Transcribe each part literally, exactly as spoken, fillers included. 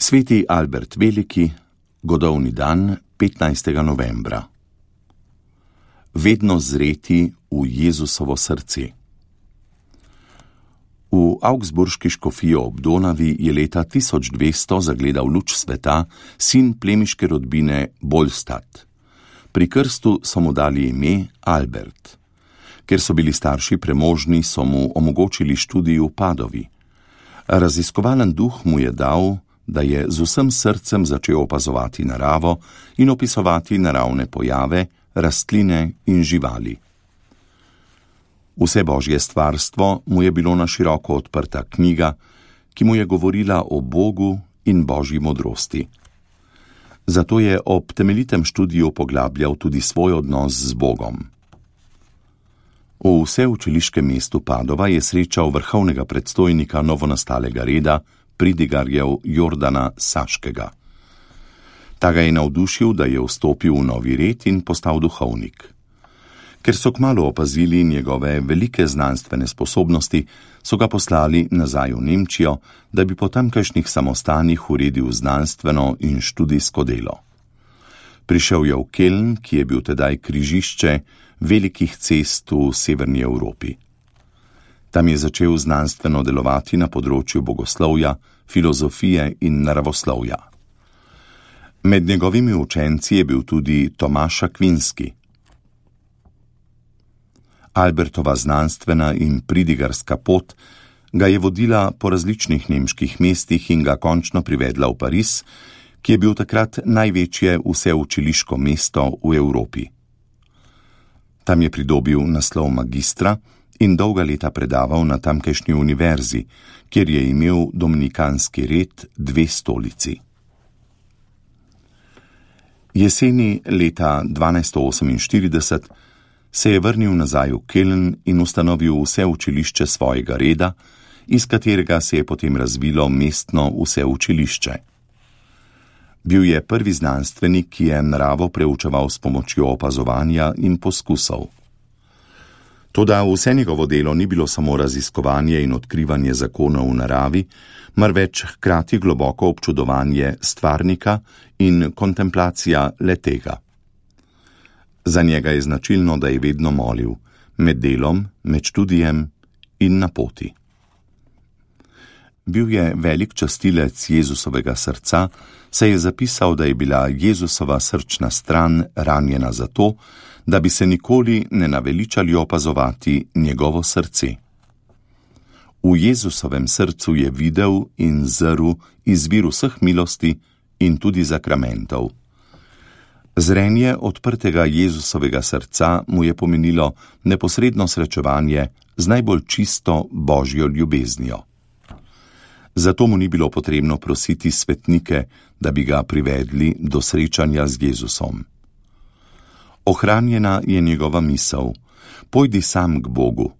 Sveti Albert Veliki, godovni dan, petnajstega novembra. Vedno zreti v Jezusovo srce. V Augsburški škofiji ob Donavi je leta tisoč dvesto zagledal luč sveta sin plemiške rodbine Bolstad. Pri krstu so mu dali ime Albert. Ker so bili starši premožni, so mu omogočili študij v Padovi. Raziskovalen duh mu je dal, da je z vsem srcem začel opazovati naravo in opisovati naravne pojave, rastline in živali. Vse božje stvarstvo mu je bilo na široko odprta knjiga, ki mu je govorila o Bogu in božji modrosti. Zato je ob temeljitem študiju poglabljal tudi svoj odnos z Bogom. V vseučiliškem mestu Padova je srečal vrhovnega predstojnika novonastalega reda, pridigarjev Jordana Saškega. Ta ga je navdušil, da je vstopil v novi red in postal duhovnik. Ker so kmalu opazili njegove velike znanstvene sposobnosti, so ga poslali nazaj v Nemčijo, da bi po tamkajšnjih samostanih uredil znanstveno in študijsko delo. Prišel je v Keln, ki je bil tedaj križišče velikih cest v severni Evropi. Tam je začel znanstveno delovati na področju bogoslovja, filozofije in naravoslovja. Med njegovimi učenci je bil tudi Tomaš Akvinski. Albertova znanstvena in pridigarska pot ga je vodila po različnih nemških mestih in ga končno privedla v Pariz, ki je bil takrat največje vseučiliško mesto v Evropi. Tam je pridobil naslov magistra in dolga leta predaval na tamkajšnji univerzi, kjer je imel dominikanski red dve stolici. Jeseni leta dvanajststo oseminštirideset se je vrnil nazaj v Keln in ustanovil vseučilišče svojega reda, iz katerega se je potem razvilo mestno vseučilišče. Bil je prvi znanstvenik, ki je naravo preučeval s pomočjo opazovanja in poskusov. Toda vse njegovo delo ni bilo samo raziskovanje in odkrivanje zakonov v naravi, marveč hkrati globoko občudovanje stvarnika in kontemplacija le-tega. Za njega je značilno, da je vedno molil, med delom, med študijem in na poti. Bil je velik častilec Jezusovega srca, saj je zapisal, da je bila Jezusova srčna stran ranjena zato, da bi se nikoli ne naveličali opazovati njegovo srce. V Jezusovem srcu je videl in zrl izvir vseh milosti in tudi zakramentov. Zrenje odprtega Jezusovega srca mu je pomenilo neposredno srečevanje z najbolj čisto božjo ljubeznijo. Zato mu ni bilo potrebno prositi svetnike, da bi ga privedli do srečanja z Jezusom. Ohranjena je njegova misel: pojdi sam k Bogu.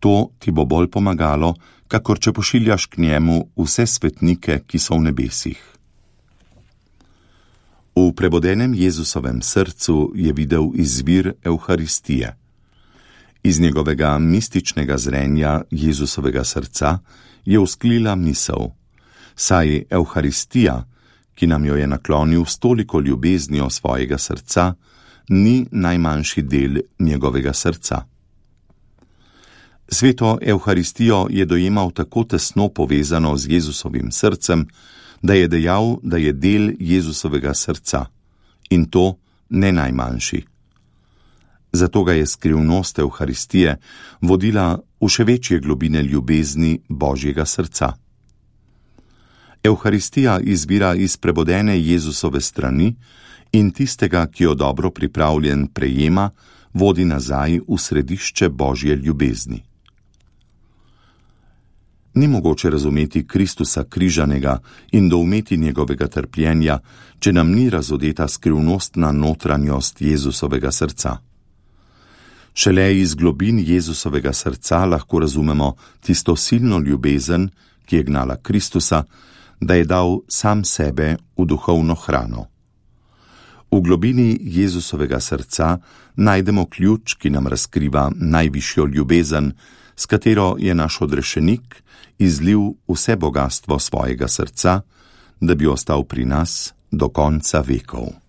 To ti bo bolj pomagalo, kakor če pošiljaš k njemu vse svetnike, ki so v nebesih. V prebodenem Jezusovem srcu je videl izvir Evharistije. Iz njegovega mističnega zrenja Jezusovega srca je vzklila misel: saj Evharistija, ki nam jo je naklonil s toliko ljubeznijo svojega srca, ni najmanjši del njegovega srca. Sveto Evharistijo je dojemal tako tesno povezano z Jezusovim srcem, da je dejal, da je del Jezusovega srca, in to ne najmanjši. Zato ga je skrivnost Evharistije vodila v še večje globine ljubezni Božjega srca. Evharistija izvira iz prebodene Jezusove strani in tistega, ki jo dobro pripravljen prejema, vodi nazaj v središče Božje ljubezni. Ni mogoče razumeti Kristusa križanega in doumeti njegovega trpljenja, če nam ni razodeta skrivnostna notranjost Jezusovega srca. Šele iz globin Jezusovega srca lahko razumemo tisto silno ljubezen, ki je gnala Kristusa, da je dal sam sebe v duhovno hrano. V globini Jezusovega srca najdemo ključ, ki nam razkriva najvišjo ljubezen, s katero je naš odrešenik izlil vse bogastvo svojega srca, da bi ostal pri nas do konca vekov.